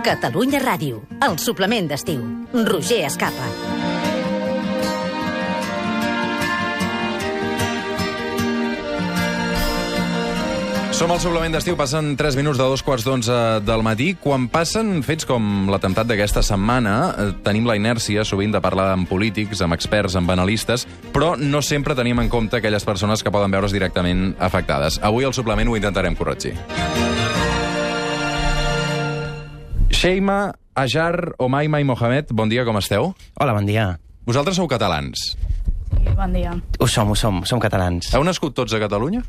Catalunya Ràdio, el suplement d'estiu. Roger Escapa. Som al suplement d'estiu, passen 3 minuts de 2:15 del matí. Quan passen fets com l'atemptat d'aquesta setmana, tenim la inèrcia sovint de parlar amb polítics, amb experts, amb analistes, però no sempre tenim en compte aquelles persones que poden veure's directament afectades. Avui al suplement ho intentarem corregir. Sheima, Ajar, Omaima i Mohamed, bon dia, com esteu? Hola, bon dia. Vosaltres sou catalans. Sí, bon dia. Ho som catalans. Heu nascut tots a Catalunya?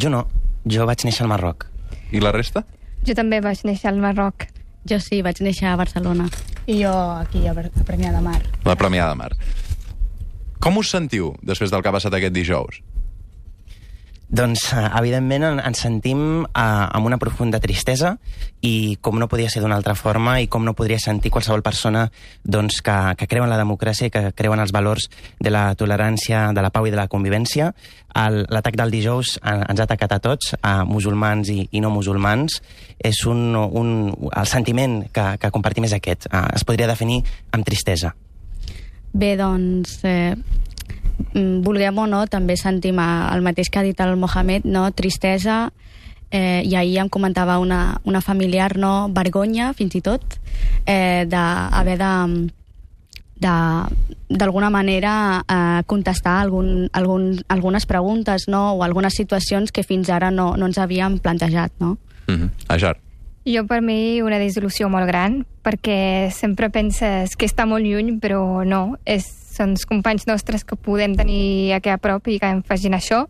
Jo no, jo vaig néixer al Marroc. I la resta? Jo també vaig néixer al Marroc. Jo sí, vaig néixer a Barcelona. I jo aquí, a Premià de Mar. La Premià de Mar. Com us sentiu després del que ha passat aquest dijous? Doncs, evidentment, ens sentim amb una profunda tristesa i com no podia ser d'una altra forma i com no podria sentir qualsevol persona doncs, que creu en la democràcia i que creu en els valors de la tolerància, de la pau i de la convivència. L'atac del dijous ens ha atacat a tots, a musulmans i no musulmans. És el sentiment que compartim és aquest. Es podria definir amb tristesa. Bé, doncs, vulguem o no, també sentim el mateix que ha dit el Mohamed, no? Tristesa, i ahir em comentava una familiar, no? Vergonya, fins i tot, d'haver d'alguna manera contestar algunes preguntes, no? O algunes situacions que fins ara no ens havíem plantejat, no? Ajar. Jo, per mi, una dissolució molt gran, perquè sempre penses que està molt lluny, però no. Són els companys nostres que podem tenir aquí a prop i que em facin això.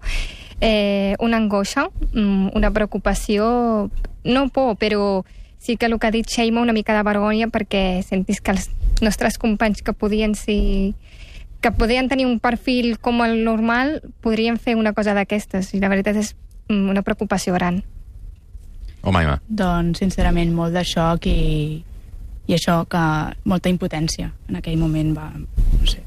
Una angoixa, una preocupació, no por, però sí que el que ha dit Sheima, una mica de vergonya, perquè sentis que els nostres companys que podien tenir un perfil com el normal, podrien fer una cosa d'aquestes, i la veritat és una preocupació gran. Omaima. Doncs, sincerament, molt de xoc i això, que molta impotència. En aquell moment va, no sé.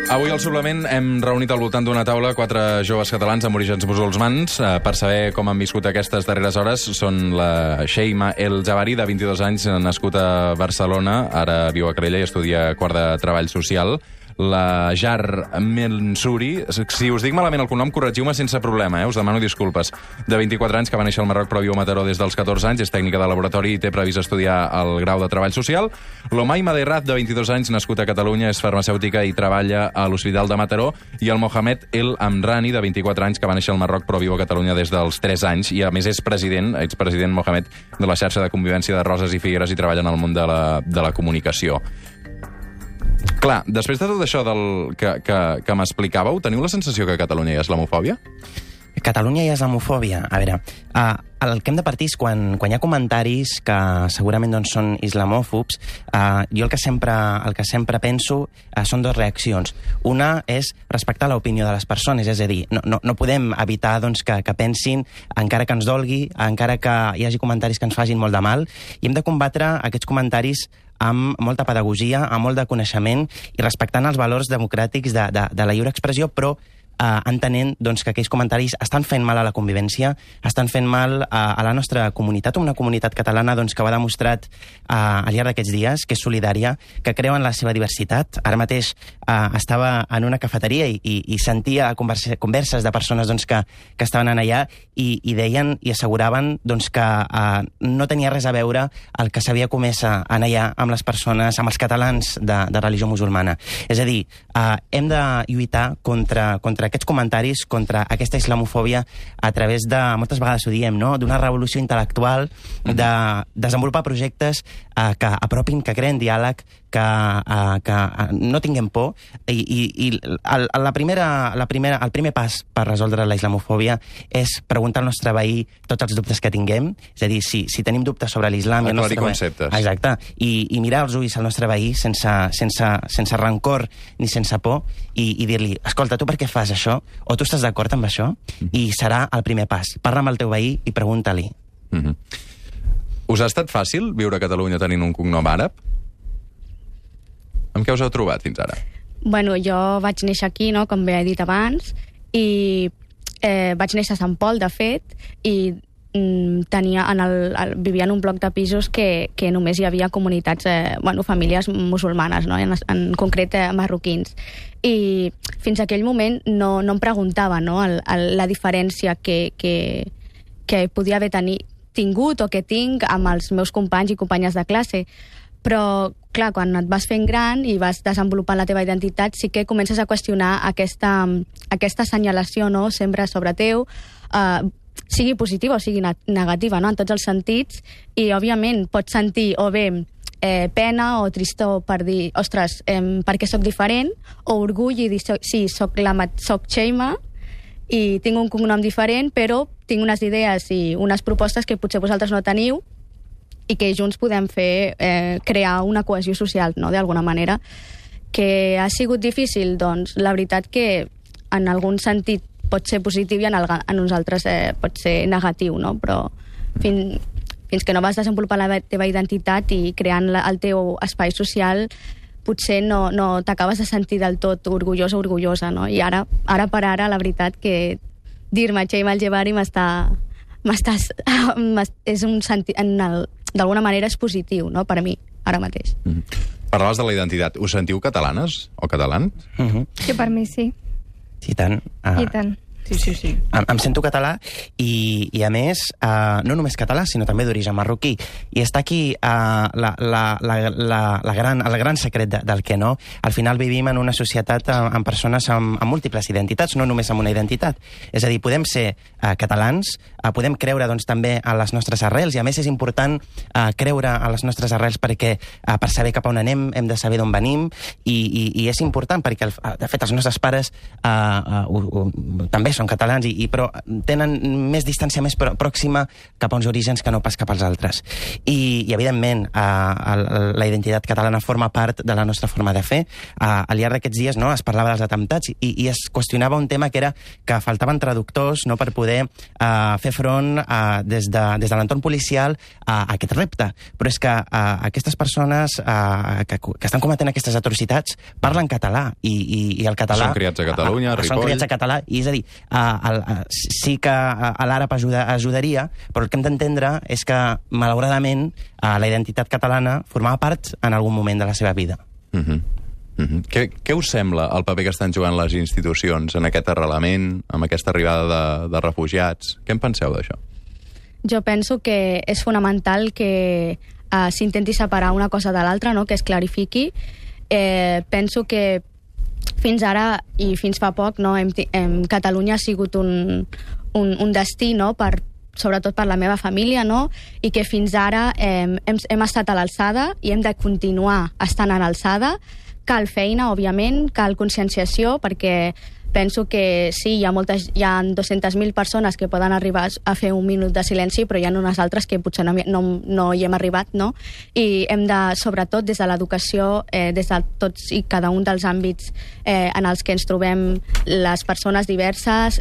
Avui al suplement hem reunit al voltant d'una taula 4 joves catalans amb orígens musulmans per saber com han viscut aquestes darreres hores. Són la Sheima El Javari, de 22 anys, nascut a Barcelona, ara viu a Calella i estudia quart de Treball Social. La Jar Mensuri, si us dic malament el cognom, corregiu-me sense problema, us demano disculpes. De 24 anys, que va néixer al Marroc però viu a Mataró des dels 14 anys, és tècnica de laboratori i té previst estudiar el grau de Treball Social. L'Omaima Derraz, de 22 anys, nascut a Catalunya, és farmacèutica i treballa a l'Hospital de Mataró. I el Mohamed El Amrani, de 24 anys, que va néixer al Marroc però viu a Catalunya des dels 3 anys i a més és expresident Mohamed de la xarxa de convivència de Roses i Figueres i treballa en el món de la comunicació. Clar, després de tot això que m'explicàveu, teniu la sensació que a Catalunya hi ha islamofòbia? Catalunya hi ha islamofòbia? A veure, el que hem de partir és quan hi ha comentaris que segurament doncs, són islamòfobs, jo el que sempre penso són 2 reaccions. Una és respectar l'opinió de les persones, és a dir, no podem evitar doncs, que pensin, encara que ens dolgui, encara que hi hagi comentaris que ens facin molt de mal, i hem de combatre aquests comentaris amb molta pedagogia, amb molt de coneixement i respectant els valors democràtics de la lliure expressió, però entenent doncs, que aquells comentaris estan fent mal a la convivència, estan fent mal a la nostra comunitat, una comunitat catalana doncs, que ho ha demostrat al llarg d'aquests dies, que és solidària, que creu en la seva diversitat. Ara mateix estava en una cafeteria i sentia converses de persones doncs, que estaven allà i deien i asseguraven doncs, que no tenia res a veure el que s'havia comès allà amb les persones, amb els catalans de religió musulmana. És a dir, hem de lluitar contra aquests comentaris, contra aquesta islamofòbia a través de, moltes vegades ho diem, no? D'una revolució intel·lectual, de desenvolupar projectes que apropin, que creen diàleg, que no tinguem por i el primer pas per resoldre la islamofòbia és preguntar al nostre veí tots els dubtes que tinguem, és a dir, si tenim dubtes sobre l'islam... Aclarir conceptes. Exacte, i mirar els ulls al nostre veí sense rancor ni sense por i dir-li, escolta, tu per què fas això? O tu estàs d'acord amb això? I serà el primer pas. Parla amb el teu veí i pregunta-li. Us ha estat fàcil viure a Catalunya tenint un cognom àrab? Amb què us heu trobat fins ara? Bueno, jo vaig néixer aquí, no?, com bé he dit abans, i vaig néixer a Sant Pol, de fet, i vivia en un bloc de pisos que només hi havia comunitats, famílies musulmanes, no?, en concret marroquins. I fins a aquell moment no em preguntava, no?, la diferència que podia haver tingut o que tinc amb els meus companys i companyes de classe. Però, clar, quan et vas fent gran i vas desenvolupant la teva identitat, sí que comences a qüestionar aquesta senyalació, no?, sempre sobre teu, sigui positiva o sigui negativa, no?, en tots els sentits, i, òbviament, pots sentir o bé pena o tristor per dir, ostres, per què soc diferent, o orgull i dir, sí, soc Sheima i tinc un cognom diferent, però tinc unes idees i unes propostes que potser vosaltres no teniu i que junts podem fer, crear una cohesió social, no?, d'alguna manera. Que ha sigut difícil? Doncs la veritat que en algun sentit pot ser positiu i en uns altres pot ser negatiu, no? Però fins que no vas desenvolupar la teva identitat i creant el teu espai social, potser no t'acabes de sentir del tot orgullós o orgullosa, no? I ara per ara, la veritat que dir-me Sheima El Jebari és un sentit, d'alguna manera és positiu, no?, per a mi, ara mateix. Parlaves de la identitat. Us sentiu catalanes o catalans? Sí, per mi sí. I tant. I tant. Sí. Em sento català i a més, no només català, sinó també d'origen marroquí. I està aquí el gran secret del que no. Al final vivim en una societat amb persones amb múltiples identitats, no només amb una identitat. És a dir, podem ser catalans, podem creure doncs, també a les nostres arrels, i a més és important creure a les nostres arrels perquè per saber cap a on anem hem de saber d'on venim, i és important perquè, de fet, els nostres pares també són catalans, però tenen més distància més pròxima cap a uns orígens que no pas cap als altres. I evidentment, la identitat catalana forma part de la nostra forma de fer. Al llarg d'aquests dies es parlava dels atemptats i es qüestionava un tema que era que faltaven traductors per poder fer front des de l'entorn policial a aquest repte. Però és que aquestes persones que estan cometent aquestes atrocitats parlen català, i el català... Són criats a Catalunya, a Ripoll... Són criats a català, i és a dir, sí que l'àrab ajudaria, però el que hem d'entendre és que, malauradament, la identitat catalana formava part en algun moment de la seva vida. Què us sembla el paper que estan jugant les institucions en aquest arrelament, amb aquesta arribada de refugiats? Què en penseu d'això? Jo penso que és fonamental que s'intenti separar una cosa de l'altra, no?, que es clarifiqui. Penso que fins ara i fins fa poc, no, Catalunya ha sigut un destí, no?, sobretot per la meva família, no?, i que fins ara hem estat a l'alçada i hem de continuar estant a l'alçada. Cal feina, òbviament, cal conscienciació, perquè penso que sí, hi ha 200.000 persones que poden arribar a fer un minut de silenci, però hi ha unes altres que potser no hi hem arribat, no? I hem de, sobretot des de l'educació, des de tots i cada un dels àmbits en els que ens trobem les persones diverses,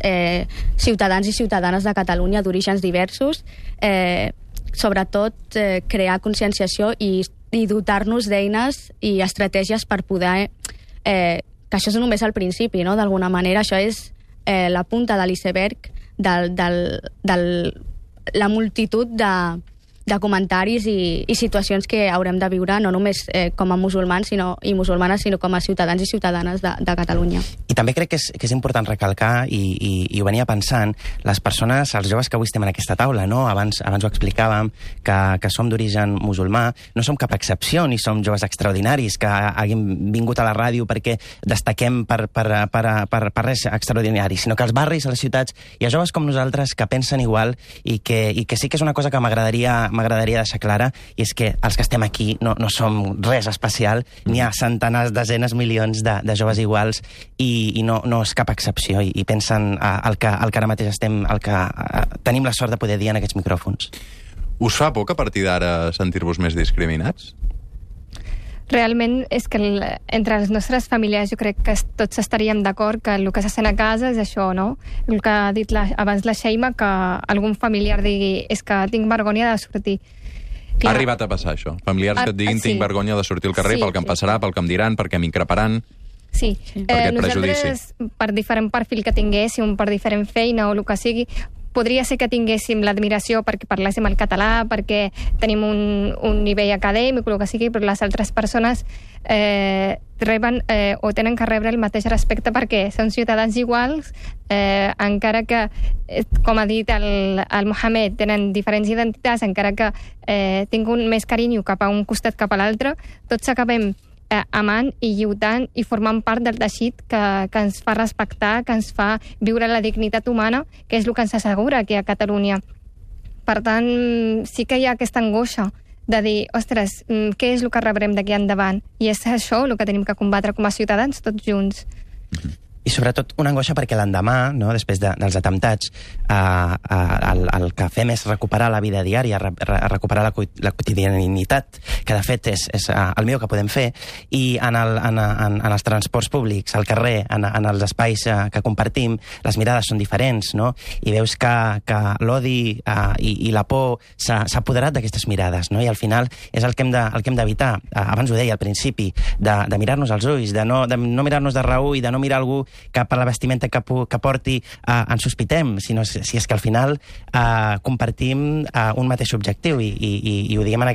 ciutadans i ciutadanes de Catalunya d'orígens diversos, sobretot crear conscienciació i dotar-nos d'eines i estratègies per poder... que això és només el principi, no?, d'alguna manera. Això és la punta de l'iceberg de la multitud de comentaris i situacions que haurem de viure, no només com a musulmans i musulmanes, sinó com a ciutadans i ciutadanes de Catalunya. I també crec que és important recalcar, i ho venia pensant, les persones, els joves que avui estem en aquesta taula, no? Abans ho explicàvem, que som d'origen musulmà, no som cap excepció, ni som joves extraordinaris que hàgim vingut a la ràdio perquè destaquem per res extraordinari, sinó que als barris, a les ciutats, hi ha joves com nosaltres que pensen igual i que sí que és una cosa que m'agradaria deixar clara, i és que els que estem aquí no som res especial, n'hi ha centenars, desenes, milions de joves iguals, i no és cap excepció, i pensen el que ara mateix tenim la sort de poder dir en aquests micròfons. Us fa por que a partir d'ara sentir-vos més discriminats? Realment és que entre les nostres famílies jo crec que tots estaríem d'acord que el que se sent a casa és això, no? El que ha dit abans la Sheima, que algun familiar digui és que tinc vergonya de sortir. Ha arribat a passar això? Familiars que et diguin tinc vergonya de sortir al carrer pel que em passarà, pel que em diran, perquè m'increparan? Sí, Per aquest nosaltres, per diferent perfil que tinguéssim, per diferent feina o el que sigui, podria ser que tinguéssim l'admiració perquè parléssim el català, perquè tenim un nivell acadèmic o el que sigui, però les altres persones reben o tenen que rebre el mateix respecte perquè són ciutadans iguals, encara que, com ha dit el Mohamed, tenen diferents identitats, encara que tinguin més carinyo cap a un costat cap a l'altre, tots acabem amant i lluitant i formant part del teixit que ens fa respectar, que ens fa viure la dignitat humana, que és el que ens assegura aquí a Catalunya. Per tant, sí que hi ha aquesta angoixa de dir, ostres, què és el que rebrem d'aquí endavant? I és això el que tenim que combatre com a ciutadans, tots junts. I sobretot una angoixa perquè l'endemà, no, després dels atemptats, el que fem és recuperar la vida diària, recuperar la quotidianitat, que de fet és el millor que podem fer, i en els transports públics, al carrer, en els espais que compartim, les mirades són diferents, no? I veus que l'odi i la por s'ha apoderat d'aquestes mirades, no? I al final és el que hem d'evitar. Abans ho deia al principi, de mirar-nos als ulls, de no mirar-nos de reüll, de no mirar algú que per la vestimenta que porti ens sospitem, sinó si és que al final compartim un mateix objectiu i ho diguem en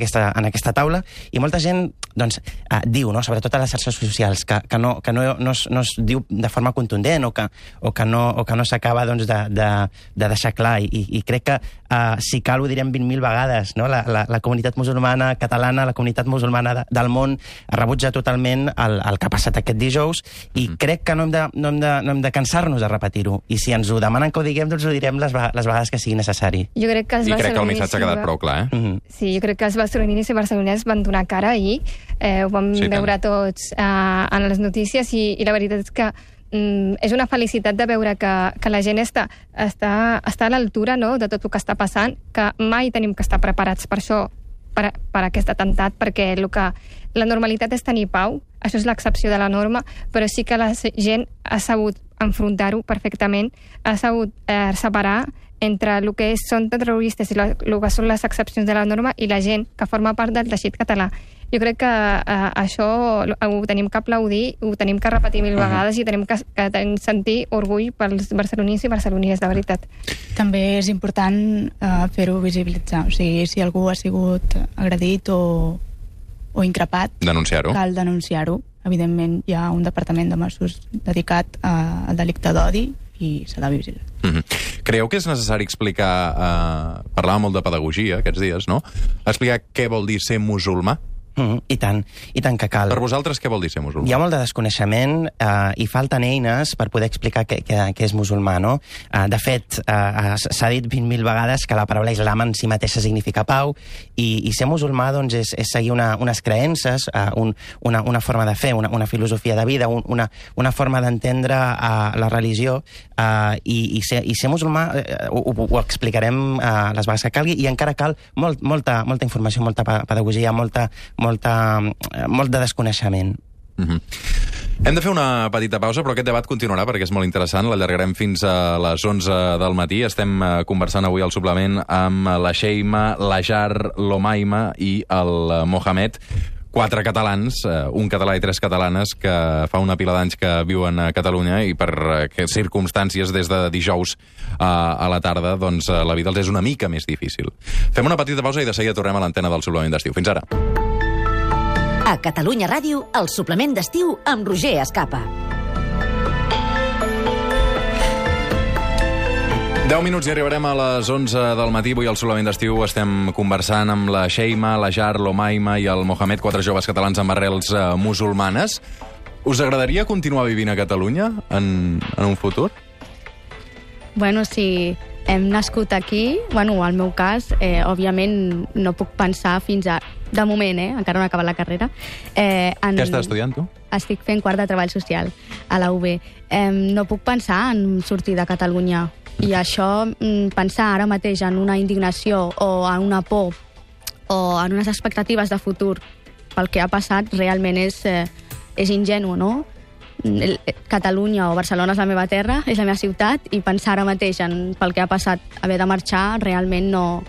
aquesta taula, i molta gent doncs, diu, no, sobretot a les xarxes socials, que no es diu de forma contundent o que no s'acaba doncs, de deixar clar, i crec que si cal ho direm 20.000 vegades, no? La comunitat musulmana catalana, la comunitat musulmana del món rebutja totalment el que ha passat aquest dijous, i crec que no hem de cansar-nos de repetir-ho, i si ens ho demanen que ho diguem, doncs ho direm les vegades que sigui necessari. Jo crec que I crec que el missatge ha quedat prou clar, Sí, jo crec que els barcelonis i barcelonins van donar cara ahir, ho vam veure tots en les notícies, i la veritat és que és una felicitat de veure que la gent està a l'altura, no?, de tot el que està passant, que mai tenim que estar preparats per això, per aquest atemptat, perquè la normalitat és tenir pau, això és l'excepció de la norma, però sí que la gent ha sabut enfrontar-ho perfectament, ha sabut separar entre el que són terroristes i el que són les excepcions de la norma i la gent que forma part del teixit català. Jo crec que això ho tenim que aplaudir, ho tenim que repetir 1000 vegades i tenim que sentir orgull pels barcelonins i barcelonines, de veritat. També és important fer-ho visibilitzar. O sigui, si algú ha sigut agredit o increpat, denunciar-ho. Cal denunciar-ho. Evidentment, hi ha un departament de Mossos dedicat al delicte d'odi i s'ha de vigilar. Creieu que és necessari explicar, parlàvem molt de pedagogia aquests dies, no? Explicar què vol dir ser musulmà? I tant que cal. Per vosaltres, què vol dir ser musulmà? Hi ha molt de desconeixement i falten eines per poder explicar què és musulmà, no? De fet, s'ha dit 20.000 vegades que la paraula islam en si mateixa significa pau, i ser musulmà doncs, és seguir unes creences, una forma de fer, una filosofia de vida, una forma d'entendre la religió, i ser musulmà ho explicarem les vegades que calgui, i encara cal molta informació, molta pedagogia, molt de desconeixement. Hem de fer una petita pausa, però aquest debat continuarà perquè és molt interessant. L'allargarem fins a les 11 del matí. Estem conversant avui al suplement amb la Sheima, l'Ajar, l'Omaima i el Mohamed, 4 catalans, un català i 3 catalanes, que fa una pila d'anys que viuen a Catalunya, i per circumstàncies des de dijous a la tarda, doncs la vida els és una mica més difícil. Fem una petita pausa i de seguida tornem a l'antena del suplement d'estiu. Fins ara. A Catalunya Ràdio, el suplement d'estiu amb Roger Escapa. 10 minuts i arribarem a les 11 del matí. Avui al suplement d'estiu estem conversant amb la Sheima, l'Ajar, l'Omaima i el Mohamed, 4 joves catalans amb arrels musulmanes. Us agradaria continuar vivint a Catalunya en un futur? Bueno, si hem nascut aquí, bueno, al meu cas, òbviament no puc pensar fins a... De moment, encara no he acabat la carrera. Què estàs estudiant, tu? Estic fent quart de treball social a la UB. No puc pensar en sortir de Catalunya. I això, pensar ara mateix en una indignació o en una por o en unes expectatives de futur pel que ha passat, realment és ingenu, no? Catalunya o Barcelona és la meva terra, és la meva ciutat, i pensar ara mateix pel que ha passat, haver de marxar, realment no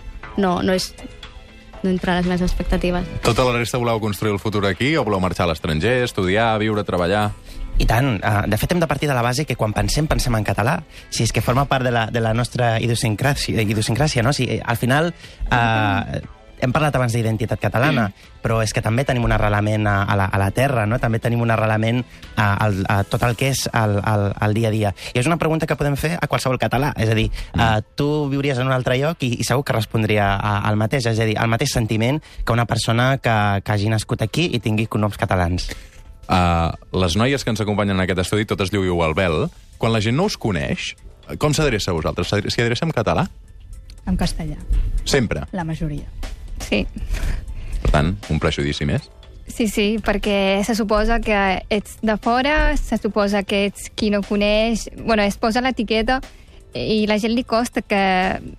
entre les meves expectatives. Tota la resta voleu construir el futur aquí o voleu marxar a l'estranger, estudiar, viure, treballar? I tant. De fet, hem de partir de la base que quan pensem en català. Si és que forma part de la nostra idiosincràsia, no? Si, al final, hem parlat abans d'identitat catalana, però és que també tenim un arrelament a la terra, no? També tenim un arrelament a tot el que és el dia a dia. I és una pregunta que podem fer a qualsevol català. És a dir, tu viuries en un altre lloc i segur que respondria al mateix. És a dir, el mateix sentiment que una persona que hagi nascut aquí i tingui cognoms catalans. Les noies que ens acompanyen en aquest estudi totes lluïu el vel. Quan la gent no us coneix, com s'adreça a vosaltres? S'hi adreça en català? En castellà. Sempre? La majoria. Sí. Per tant, un prejudici més? Sí, perquè se suposa que ets de fora, se suposa que ets qui no coneix... Bueno, es posa l'etiqueta i la gent li costa que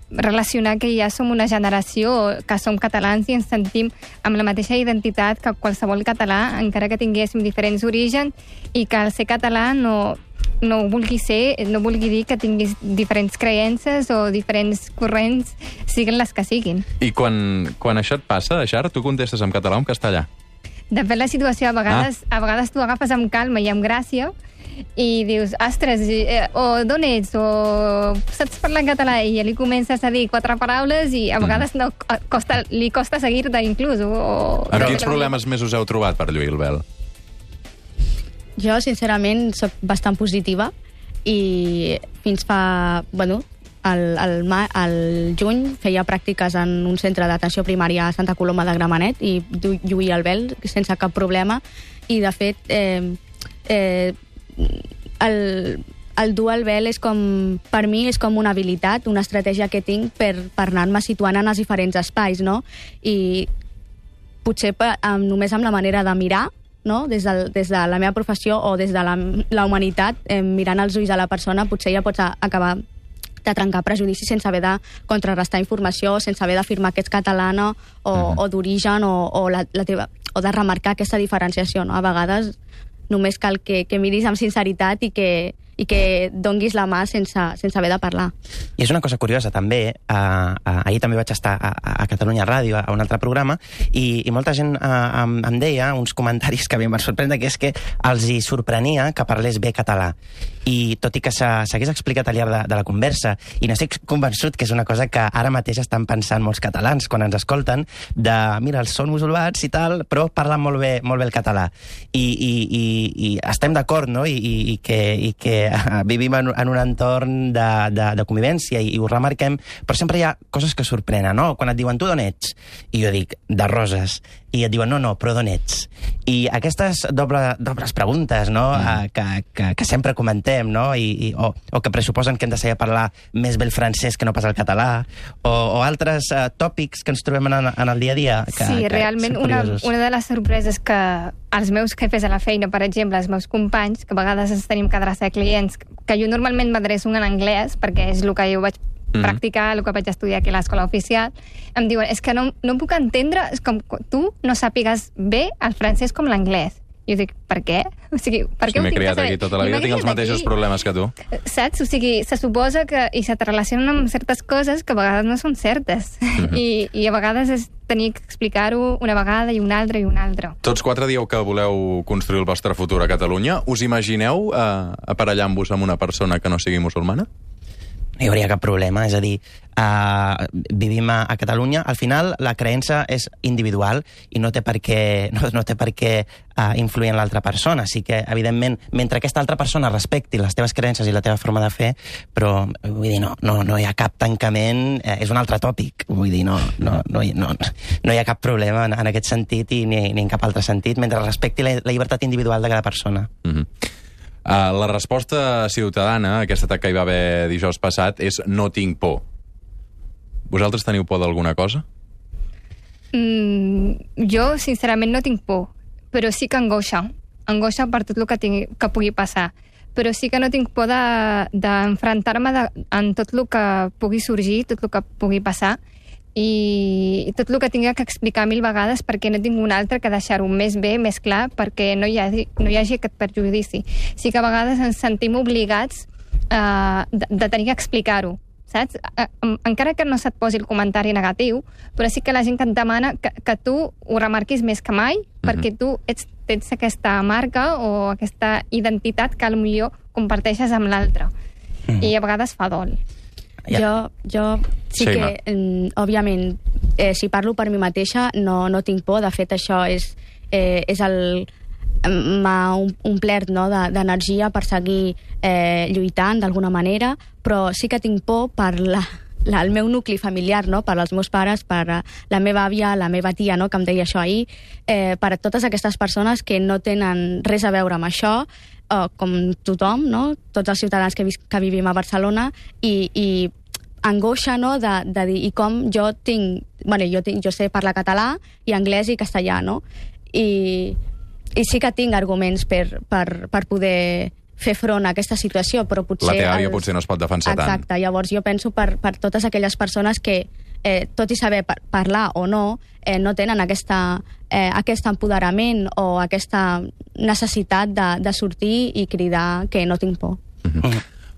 relacionar que ja som una generació que som catalans i ens sentim amb la mateixa identitat que qualsevol català, encara que tinguéssim diferents orígens, i que el ser català no vulgui dir que tinguis diferents creences o diferents corrents, siguin les que siguin. I quan això et passa, Xar, tu contestes en català o en castellà? Depèn la situació. A vegades tu agafes amb calma i amb gràcia i dius, ostres, o d'on ets, o saps parlar en català, i ja li comences a dir 4 paraules i a vegades li costa seguir-te inclús. Amb quins problemes més us heu trobat per lluir el vel? Jo, sincerament, sóc bastant positiva i fins fa... Bueno, al juny feia pràctiques en un centre d'atenció primària a Santa Coloma de Gramenet i lluïa el vel sense cap problema. I, de fet, el dur el vel és com, per mi és com una habilitat, una estratègia que tinc per anar-me situant en els diferents espais, no? I potser només amb la manera de mirar, no? Des de la meva professió o des de la humanitat, mirant els ulls de la persona, potser ja pots acabar de trencar prejudicis sense haver de contrarrestar informació, sense haver d'afirmar que ets catalana o d'origen o de remarcar aquesta diferenciació, no? A vegades només cal que miris amb sinceritat i que donguis la mà sense haver de parlar. I és una cosa curiosa, també. Ahir també vaig estar a Catalunya Ràdio, a un altre programa, i molta gent em deia uns comentaris que a mi em van sorprendre, que és que els hi sorprenia que parlés bé català. I tot i que s'hagués explicat al llarg de la conversa, i n'estic convençut que és una cosa que ara mateix estan pensant molts catalans quan ens escolten, de, mira, els són musulmans i tal, però parlen molt bé el català. I estem d'acord, no?, i que vivim en un entorn de convivència i ho remarquem, però sempre hi ha coses que sorprenen, no? Quan et diuen, tu d'on ets? I jo dic, de Roses. I et diuen, no, però d'on ets? I aquestes dobles preguntes, no?, que sempre comentem, no?, o que pressuposen que hem de saber parlar més bé el francès que no pas el català, o altres tòpics que ens trobem en el dia a dia. Sí, realment una de les sorpreses que els meus jefes a la feina, per exemple, els meus companys, que a vegades ens tenim que adreçar a clients, que jo normalment m'adreço en anglès, perquè és el que jo vaig practicar, el que vaig estudiar aquí a l'escola oficial, em diuen, és que no puc entendre, és com tu no sàpigues bé el francès com l'anglès. I jo dic, per què? O sigui, per què m'he criat aquí tota la vida, tinc els mateixos problemes que tu. Saps? O sigui, se suposa que i se te relacionen amb certes coses que a vegades no són certes. I a vegades és tenir que explicar-ho una vegada i una altra i una altra. Tots 4 dieu que voleu construir el vostre futur a Catalunya. Us imagineu aparellant-vos amb una persona que no sigui musulmana? No hi hauria cap problema, és a dir, vivim a Catalunya, al final la creença és individual i no té per què influir en l'altra persona. Així que, evidentment, mentre aquesta altra persona respecti les teves creences i la teva forma de fer, però, vull dir, no hi ha cap tancament, és un altre tòpic, vull dir, no hi ha cap problema en aquest sentit i ni en cap altre sentit, mentre respecti la llibertat individual de cada persona. La resposta ciutadana a aquest atac que hi va haver dijous passat és no tinc por. Vosaltres teniu por d'alguna cosa? Jo, sincerament, no tinc por, però sí que angoixa per tot el que pugui passar. Però sí que no tinc por d'enfrontar-me en tot el que pugui sorgir, tot el que pugui passar, i tot el que tinc que explicar 1000 vegades perquè no tinc un altre que deixar-ho més bé, més clar, perquè no hi hagi aquest perjudici. Sí que a vegades ens sentim obligats de tenir que explicar-ho, saps? Encara que no se't posi el comentari negatiu, però sí que la gent que et demana que tu ho remarquis més que mai, perquè tu tens aquesta marca o aquesta identitat que potser comparteixes amb l'altre. I a vegades fa dol. Jo sí que, òbviament, si parlo per mi mateixa, no tinc por. De fet, això m'ha omplert, no, d'energia per seguir lluitant d'alguna manera, però sí que tinc por per el meu nucli familiar, no? Per als meus pares, per la meva àvia, la meva tia, no? Que em deia això ahir, per a totes aquestes persones que no tenen res a veure amb això, com tothom, no? Tots els ciutadans que vivim a Barcelona, i angoixa, no? De dir, i com jo tinc... Jo sé parlar català i anglès i castellà, no? I sí que tinc arguments per poder fer front a aquesta situació, però potser... La teva àvia potser no es pot defensar tant. Exacte, llavors jo penso per totes aquelles persones que, tot i saber parlar o no, no tenen aquest empoderament o aquesta necessitat de sortir i cridar que no tinc por.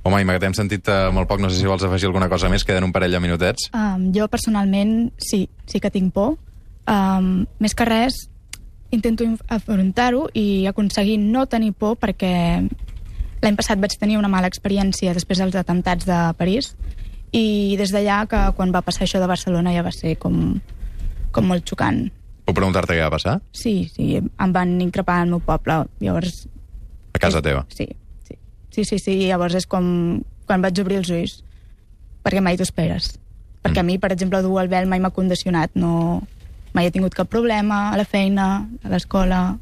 Home, Imma, que t'hem sentit molt poc, no sé si vols afegir alguna cosa més, queden un parell de minutets. Jo personalment sí que tinc por. Més que res, intento afrontar-ho i aconseguir no tenir por, perquè l'any passat vaig tenir una mala experiència després dels atemptats de París, i des d'allà, que quan va passar això de Barcelona, ja va ser com molt xocant. Puc preguntar-te què va passar? Sí, em van increpar al meu poble, llavors... A casa teva? Sí, llavors és com quan vaig obrir els ulls, perquè mai t'ho esperes. Perquè a mi, per exemple, dur el vel mai m'ha condicionat, mai he tingut cap problema a la feina, a l'escola,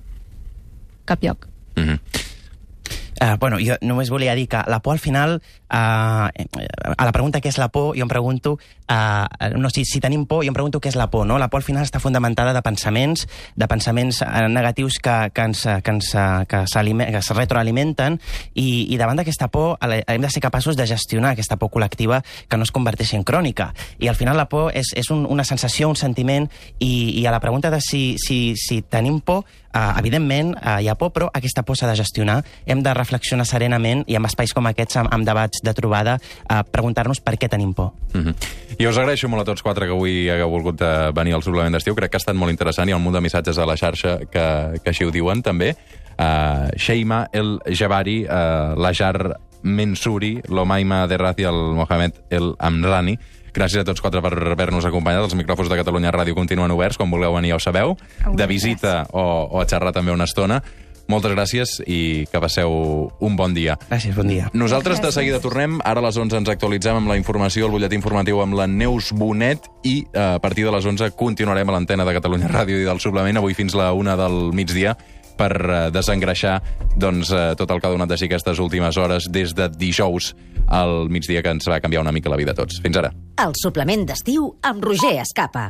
cap lloc. Bueno, jo només volia dir que la por al final, a la pregunta què és la por, jo em pregunto, si tenim por, jo em pregunto què és la por, no? La por al final està fundamentada de pensaments negatius que es retroalimenten, i davant d'aquesta por hem de ser capaços de gestionar aquesta por col·lectiva que no es converteixi en crònica. I al final la por és una sensació, un sentiment, i a la pregunta de si tenim por, evidentment hi ha por, però aquesta por s'ha de gestionar. Hem de reflexionar serenament i en espais com aquests, amb debats de trobada, preguntar-nos per què tenim por. I us agraeixo molt a tots quatre que avui hagueu volgut venir al suplement d'estiu. Crec que ha estat molt interessant. Hi ha un munt de missatges a la xarxa que així ho diuen, també. Sheima El Jabari, Lajar Mensuri, Lomaima Derraz i el Mohamed El Amrani. Gràcies a tots quatre per haver-nos acompanyat. Els micròfons de Catalunya Ràdio continuen oberts. Quan vulgueu venir ja ho sabeu. De visita o a xerrar també una estona. Moltes gràcies i que passeu un bon dia. Gràcies, bon dia. Nosaltres de seguida tornem. Ara a les 11 ens actualitzem amb la informació, el butlletí informatiu amb la Neus Bonet, i a partir de les 11 continuarem a l'antena de Catalunya Ràdio i del suplement, avui fins la 1 del migdia, per desengreixar tot el que ha donat de si aquestes últimes hores des de dijous al migdia, que ens va canviar una mica la vida a tots. Fins ara. El suplement d'estiu amb Roger Escapa.